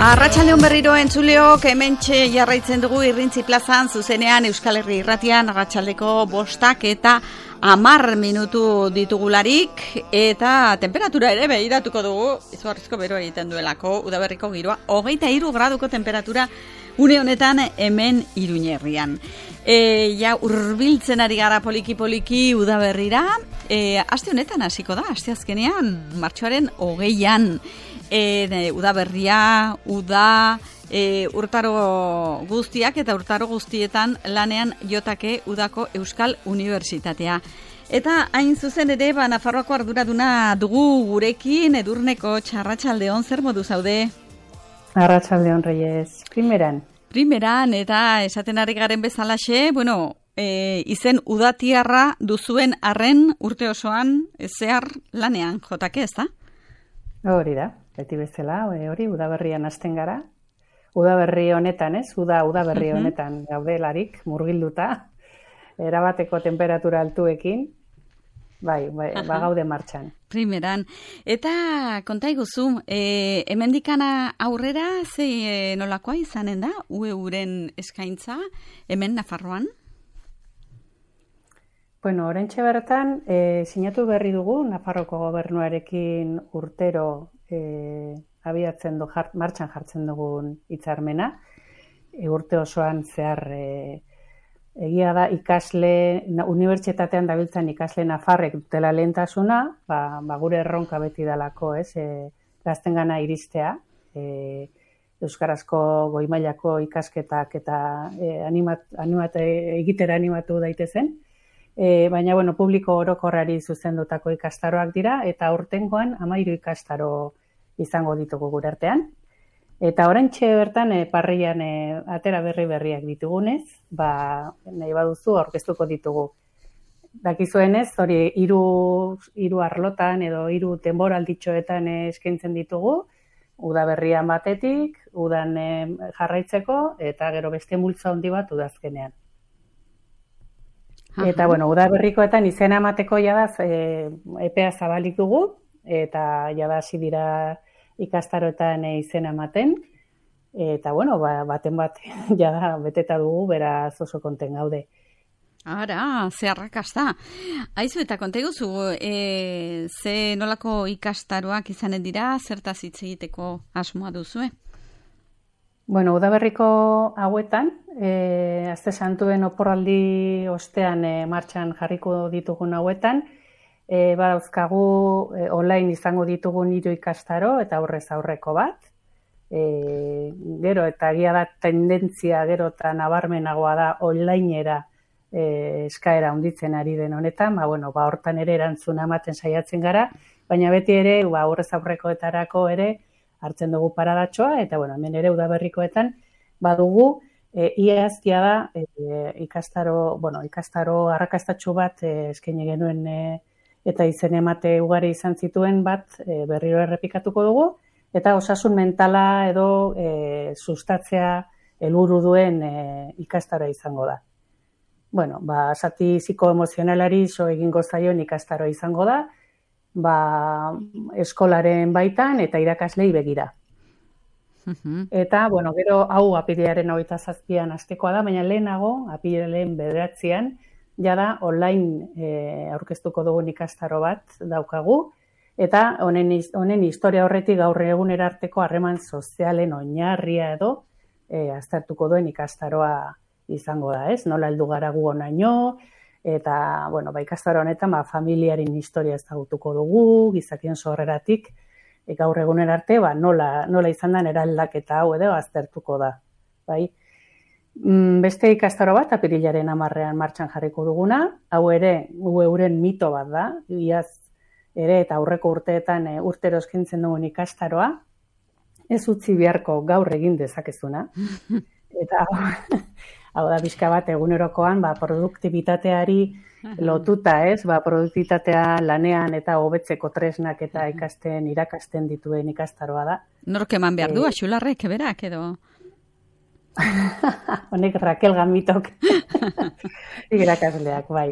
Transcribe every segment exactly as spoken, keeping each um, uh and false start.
Arratsaldeon berriro entzuleok, hementxe jarraitzen dugu Irrintzi plazan zuzenean Euskal Herri Irratian arratsaldeko bostak eta hamar minutu ditugularik eta temperatura ere behiratuko dugu, izugarrizko beroa egiten duelako, udaberriko giroa, hogeita hiru graduko temperatura une honetan hemen Iruñerrian. E, ja urbiltzen ari gara poliki-poliki udaberrira, e, aste honetan hasiko da, aste azkenean, martxoaren hogeian, e, udaberria, uda, e, urtaro guztiak eta urtaro guztietan lanean jotake udako Euskal Unibertsitatea. Eta hain zuzen ere, ba, Nafarroako arduraduna dugu gurekin, Edurneko Arratsaldeon, zer modu zaude? Arratsaldeon, Reyes, primeran. Primeran, eta esaten ari garen bezalaxe, bueno, e, izen udatiarra duzuen arren urte osoan zehar lanean jotake, ez da? Hori da, beti bezala, hori udaberrian hasten gara. Udaberri honetan, ez? Uda, udaberri uh-huh. honetan gaudelarik, murgilduta, erabateko temperatura altuekin, bai, bai uh-huh. ba gaude martxan. Primeran. Eta konta iguzu, e, hemendikana aurrera, ze e, nolakoa izanen da, U E uren eskaintza, hemen Nafarroan? Bueno, orentxe bertan, e, sinatu berri dugu, Nafarroko gobernuarekin urtero e, abiatzen du, jart, martxan jartzen dugun hitzarmena, e, urte osoan zehar e, egia da ikasle, unibertsitatean dabiltzan ikasle nafarrek dutela lehentasuna, ba, ba gure erronka beti dalako, ez, e, gaztengana iristea, e, euskarazko goi-mailako ikasketak eta e, animat, animat, egitera animatu daitezen, e, baina, bueno, publiko orokorrari zuzendutako ikastaroak dira, eta aurtengoan hamairu ikastaro izango ditugu gure artean. Eta oraintxe bertan e, parrian e, atera berri berriak ditugunez, ba, nahi baduzu aurkeztuko ditugu. Dakizuenez, hori hiru hiru arlotan edo hiru denboralditxoetan e, eskaintzen ditugu, udaberrian batetik, udan e, jarraitzeko, eta gero beste multzo handi bat udazkenean. Aha. Eta, bueno, udaberrikoetan izena emateko jada e, epea zabalik dugu, eta jada hasi dira ikastaroetan izena ematen, eta, bueno, ba, baten bat jada beteta dugu, beraz oso konten gaude. Ara, ze arrakasta. Aizu, eta konta iguzu, e, ze nolako ikastaroak izanen dira, zertaz hitz egiteko asmoa duzue? Bueno, udaberriko hauetan, e, azte santuen oporraldi ostean e, martxan jarriko ditugun hauetan, E, badauzkagu e, online izango ditugun hiru ikastaro eta aurrez aurreko bat. E, gero eta egia da tendentzia gero eta nabarmenagoa da onlinera e, eskaera handitzen ari den honetan, ba, bueno, ba, hortan ere erantzuna ematen saiatzen gara, baina beti ere ba, aurrez aurrekoetarako ere hartzen dugu paradatxoa, eta bueno, hemen ere udaberrikoetan badugu e, iaztia da e, ikastaro, bueno, ikastaro arrakastatxu bat e, eskaini genuen e, eta izen emate ugari izan zituen bat e, berriro errepikatuko dugu, eta osasun mentala edo e, sustatzea helburu duen e, ikastaro izango da. Bueno, ba, zati psikoemozionalari so egingo zaion ikastaro izango da, ba, eskolaren baitan eta irakaslei begira. Uh-huh. Eta, bueno, gero hau apirilaren hogeita zazpian hastekoa da, baina lehenago, apirilaren bederatzian, jada online e, aurkeztuko dugun ikastaro bat daukagu, eta honen, honen historia horretik gaur egunera arteko harreman sozialen oinarria edo e, aztertuko duen ikastaroa izango da, ez? Nola heldu gara gu honaino, eta, bueno, ba, ikastaro honetan ba, familiaren historia ezagutuko dugu, gizakien sorreratik, e, gaur egunera arte, ba, nola, nola izan den eraldaketa hau edo aztertuko da, bai? Beste ikastaro bat, apirilaren hamarrean martxan jarriko duguna, hau ere, U E uren mito bat da, iaz ere eta aurreko urteetan e, urtero eskaintzen dugun ikastaroa, ez utzi beharko gaur egin dezakezuna, eta hau da bizka bat egunerokoan, ba, produktibitateari lotuta, ez, ba, produktibitatea lanean eta hobetzeko tresnak eta ikasten, irakasten dituen ikastaroa da. Nork eman behar du, Axularrek, berak, edo? Honek Raquel Gamitok irakasleak, bai.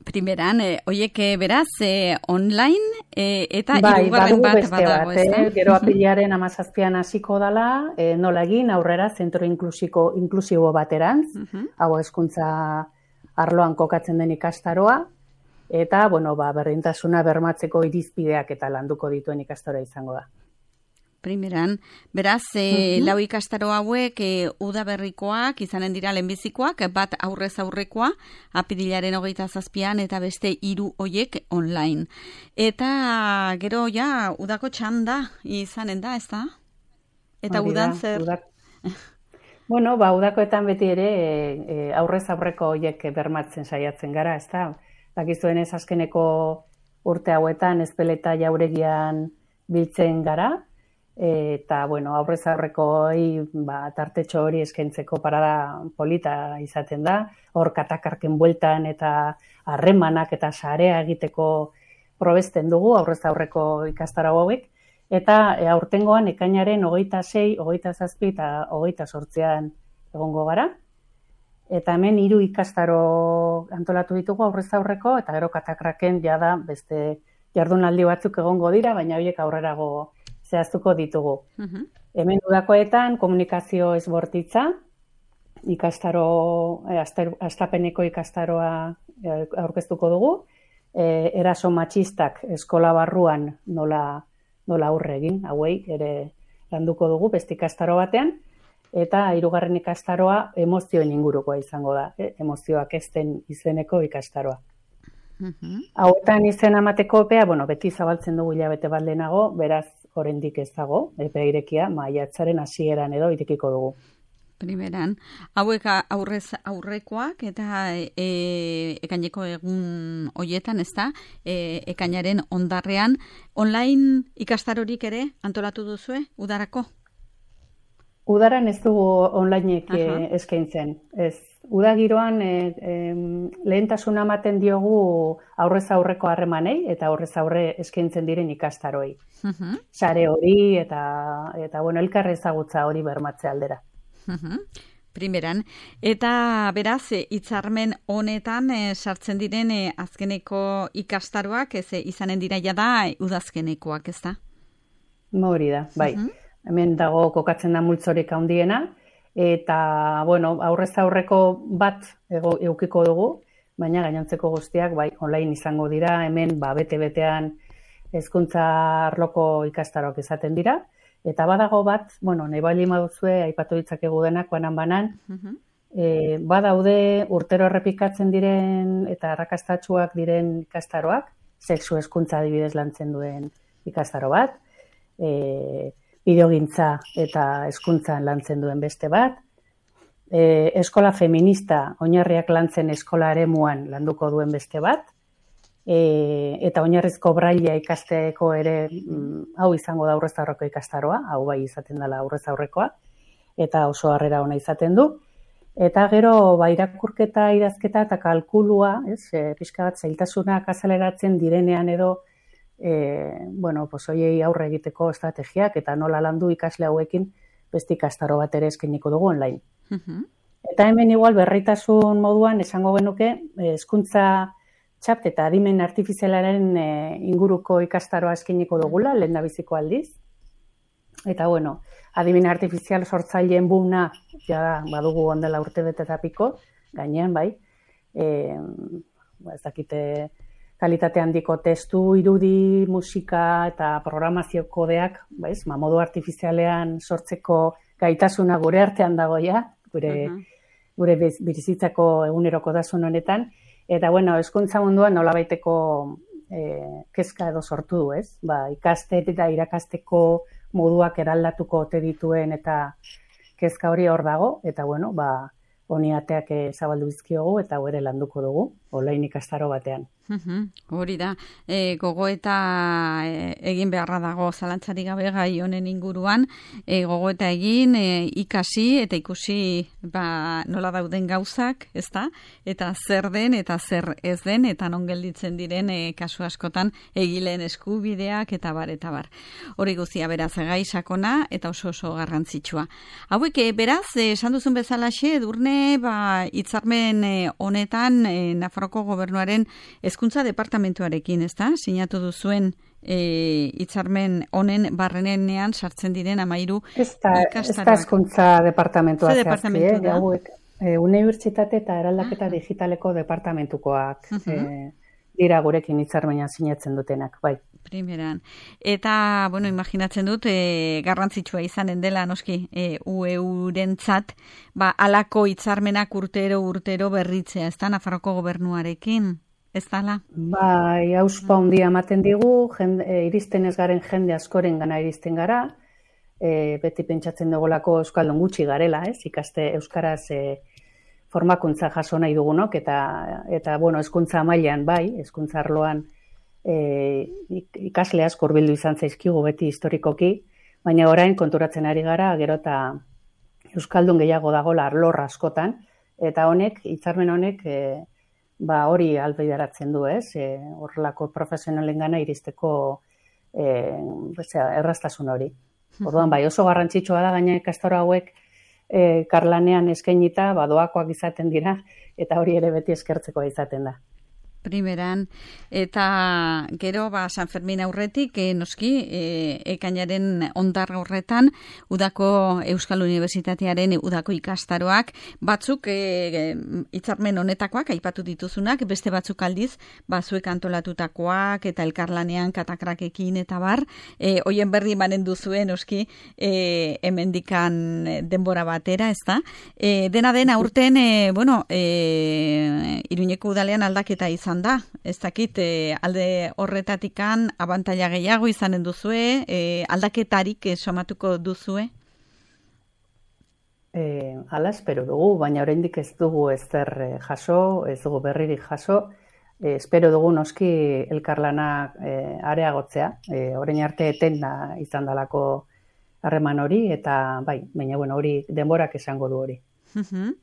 Primeran, eh, oiek beraz, eh, online eh, eta bai, hirugarren bat badago, ez da? Eh? Gero apilaren amazazpian hasiko dela, eh, nola egin aurrera zentro inklusiko, inklusibo baterantz, uh -huh. hau hezkuntza arloan kokatzen den ikastaroa, eta bueno, ba, berdintasuna bermatzeko irizpideak eta landuko dituen ikastaro izango da. Primeran, beraz, e, uh-huh. lau ikastaro hauek e, udaberrikoak, izanen dira lehenbizikoak, bat aurrez aurrekoa, apirilaren hogeita zazpian, eta beste hiru hoiek online. Eta gero ja, udako txanda izanen da, ez da? Eta Hori udan da, zer? Udak... bueno, ba, udakoetan beti ere e, e, aurrez aurreko hoiek bermatzen saiatzen gara, ez da? Dakizuen ez azkeneko urte hauetan ezpeleta jauregian biltzen gara, eta, bueno, aurrez aurrekoi ba, tartetxo hori eskaintzeko parada polita izaten da, hor katakarken bueltan eta harremanak eta sarea egiteko probesten dugu aurrez aurreko ikastaro hauek, eta e, aurtengoan ekainaren hogeita sei, hogeita zazpi eta hogeita zortzian egongo gara, eta hemen hiru ikastaro antolatu ditugu aurrez aurreko, eta gero katakraken jada beste jardunaldi batzuk egongo dira, baina horiek aurrerago zehaztuko ditugu. Uh-huh. Hemen udakoetan komunikazio ezbortitza, ikastaro, eh, astapeneko ikastaroa eh, aurkeztuko dugu, eh, eraso matxistak eskola barruan nola, nola aurre egin, hauei ere landuko dugu beste ikastaro batean, eta hirugarren ikastaroa emozioen ingurukoa izango da, eh, emozioak ezten izeneko ikastaroa. Uh-huh. Hauetan izen amateko epea, bueno, beti zabaltzen dugu hilabete bat lehenago, beraz, oraindik ez dago, epe irekia, maiatzaren hasieran edo irekiko dugu. Primeran, hauek aurrez aurrekoak eta e, ekaineko egun hoietan, ez da, e, ekainaren ondarrean, online ikastarorik ere antolatu duzue, udarako? Udaran ez dugu onlineek e, eskaintzen, ez. Uda giroan e, e, lehentasuna ematen diogu aurrez aurreko harremanei eta aurrez aurre eskaintzen diren ikastaroi. Uh-huh. Sare hori eta, eta bueno, elkar ezagutza hori bermatze aldera. Uh-huh. Primeran. Eta beraz, hitzarmen honetan e, sartzen diren e, azkeneko ikastaroak, ez e, izanen dira jada udazkenekoak, ez da? Hori da, bai. Uh-huh. Hemen dago kokatzen da multzorik handiena, eta, bueno, aurrez aurreko bat ego, eukiko dugu, baina gainontzeko guztiak, bai, online izango dira, hemen, ba, bete-betean hezkuntza arloko ikastaroak izaten dira, eta badago bat, bueno, nahi bali maduzue, aipatu ditzakegu denak, banan-banan, uh-huh. e, badaude urtero errepikatzen diren eta arrakastatsuak diren ikastaroak, sexu hezkuntza adibidez lantzen duen ikastaro bat, e, bideogintza eta hezkuntzan lantzen duen beste bat, e, eskola feminista oinarriak lantzen eskola eremuan landuko duen beste bat, e, eta oinarrizko braila ikasteko ere mm, hau izango da aurrez aurreko ikastaroa, hau bai izaten dela aurrez aurrekoa, eta oso harrera ona izaten du. Eta gero, ba, irakurketa, idazketa eta kalkulua, ez, e, pixka bat zailtasunak azaleratzen direnean edo, E, bueno, pues hoiei aurre egiteko estrategiak eta nola landu ikasle hauekin beste ikastaro bat ere eskainiko dugu online. Uh-huh. Eta hemen igual berritasun moduan esango genuke hezkuntza txapt eta adimen artifizialaren e, inguruko ikastaroa eskainiko dugula, lehendabiziko aldiz. Eta bueno, adimen artifizial sortzaileen buna ja badugu ondela urte bete eta piko, gainean bai. Eh, ez dakite kalitate handiko testu, irudi, musika eta programazio kodeak, baiz, ma modu artifizialean sortzeko gaitasuna gure artean dago ja, gure, uh-huh. gure bizitzako egunerokotasun honetan. Eta, bueno, hezkuntza munduan nolabaiteko eh, kezka edo sortu du, ez? Ba, ikaste eta irakasteko moduak eraldatuko ote dituen eta kezka hori hor dago, eta, bueno, ba, honi ateak zabaldu bizkiogu eta ere landuko dugu, online ikastaro batean. Uhum, hori da, e, gogoeta e, egin beharra dago zalantzari gabe gai honen inguruan, e, gogoeta egin, e, ikasi eta ikusi ba, nola dauden gauzak, ezta? Eta zer den eta zer ez den, eta non gelditzen diren e, kasu askotan egileen eskubideak eta bar, eta bar. Hori guztia beraz gai sakona eta oso oso garrantzitsua. Hauek, e, beraz, e, esan duzun bezalaxe, Edurne, ba, hitzarmen e, honetan e, Nafarroa Nafarroko gobernuaren hezkuntza departamentuarekin, ezta? Sinatu duzuen e, hitzarmen honen barrenean sartzen diren hamairu ikastaroak. Ez da hezkuntza departamentua zehazki, eh? Hauek, e, unibertsitate eta eraldaketa ah. digitaleko departamentukoak uh-huh. e, dira gurekin hitzarmena sinatzen dutenak, bai. Primeran. Eta, bueno, imaginatzen dut, e, garrantzitsua izanen dela, noski, e, U E U-rentzat, ba, alako hitzarmenak urtero, urtero berritzea, ez da, Nafarroko gobernuarekin, ez dala? Bai, hauspa handia ematen digu, jende, e, iristen ez garen jende askoren gana iristen gara, e, beti pentsatzen dugulako euskaldun gutxi garela, ez, ikaste euskaraz e, formakuntza jaso nahi dugunok, eta, eta bueno, hezkuntza mailan bai, hezkuntza arloan, E, ikasle asko hurbildu izan zaizkigu beti historikoki, baina orain konturatzen ari gara, gero eta euskaldun gehiago dagoela arlor askotan, eta honek, hitzarmen honek, e, ba hori ahalbideratzen du, ez? E, horrelako profesionalengana iristeko e, erraztasun hori. Orduan bai, oso garrantzitsua da gaina ikastaro hauek e, karlanean eskainita, ba doakoak izaten dira, eta hori ere beti eskertzekoa izaten da. Primeran, eta gero ba, San Fermin aurretik, e, noski, e, ekainaren ondar horretan, udako Euskal Unibertsitatearen udako ikastaroak, batzuk e, hitzarmen honetakoak, aipatu dituzunak, beste batzuk aldiz, bazuek antolatutakoak, eta elkarlanean katakrakekin, eta bar, e, hoien berri emanen duzuen, noski, e, hemendikan denbora batera, ez da? E, dena den aurten, e, bueno, e, Iruñeko udalean aldaketa izan da, ez dakit, e, alde horretatikan abantaila gehiago izanen duzue, e, aldaketarik e, somatuko duzue? E, ala espero dugu, baina oraindik ez dugu ezer e, jaso, ez dugu berririk jaso, e, espero dugu noski elkarlana e, areagotzea, e, orain arte etenda izan dalako harreman hori, eta bai, baina bueno, hori denborak esango du hori. Uhum.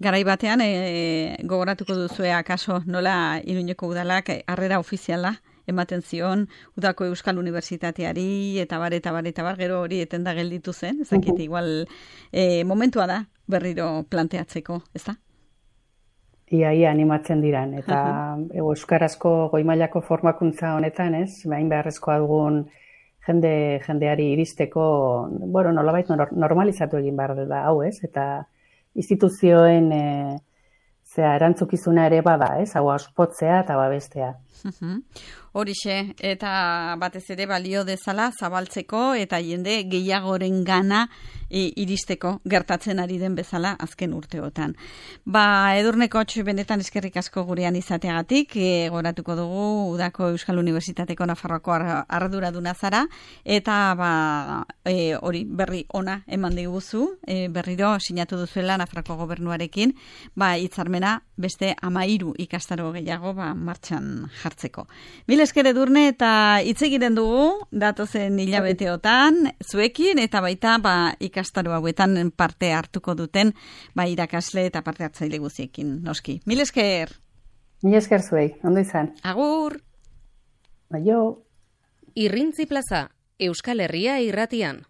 Garai batean e, gogoratuko duzue akaso nola Iruñeko udalak harrera ofiziala ematen zion udako Euskal Unibertsitateari eta bar eta bar eta bar gero hori etenda gelditu zen, ez dakit igual e, momentua da berriro planteatzeko, ez da? Ia, ia animatzen diran, eta euskarazko goi-mailako formakuntza honetan, ez, bain beharrezkoa dugun jende jendeari iristeko, bueno, nolabait normalizatu egin behar da hau, ez, eta instituzioen e, zera, erantzukizuna ere bada, ez? Hau auspotzea eta babestea. Horixe, eta batez ere balio dezala zabaltzeko eta jende gehiagoren gana e, iristeko gertatzen ari den bezala azken urteotan. Ba, Edurne Kotx benetan eskerrik asko gurean izateagatik, e, goratuko dugu udako Euskal Unibertsitateko Nafarroako arduraduna zara, eta ba, e, hori berri ona eman diguzu, e, berriro sinatu duzuela Nafarroako gobernuarekin, ba, hitzarmena beste hamairu ikastaro gehiago ba, martxan jartzeko. Mil esker Edurne, eta hitz egiten dugu datozen hilabeteotan zuekin eta baita ba, ikastaro hauetan parte hartuko duten ba, irakasle eta parte hartzaile guztiekin, noski. Mil esker. Mil esker zuei, ondo izan. Agur. Aio. Irrintzi Plaza, Euskal Herria irratian.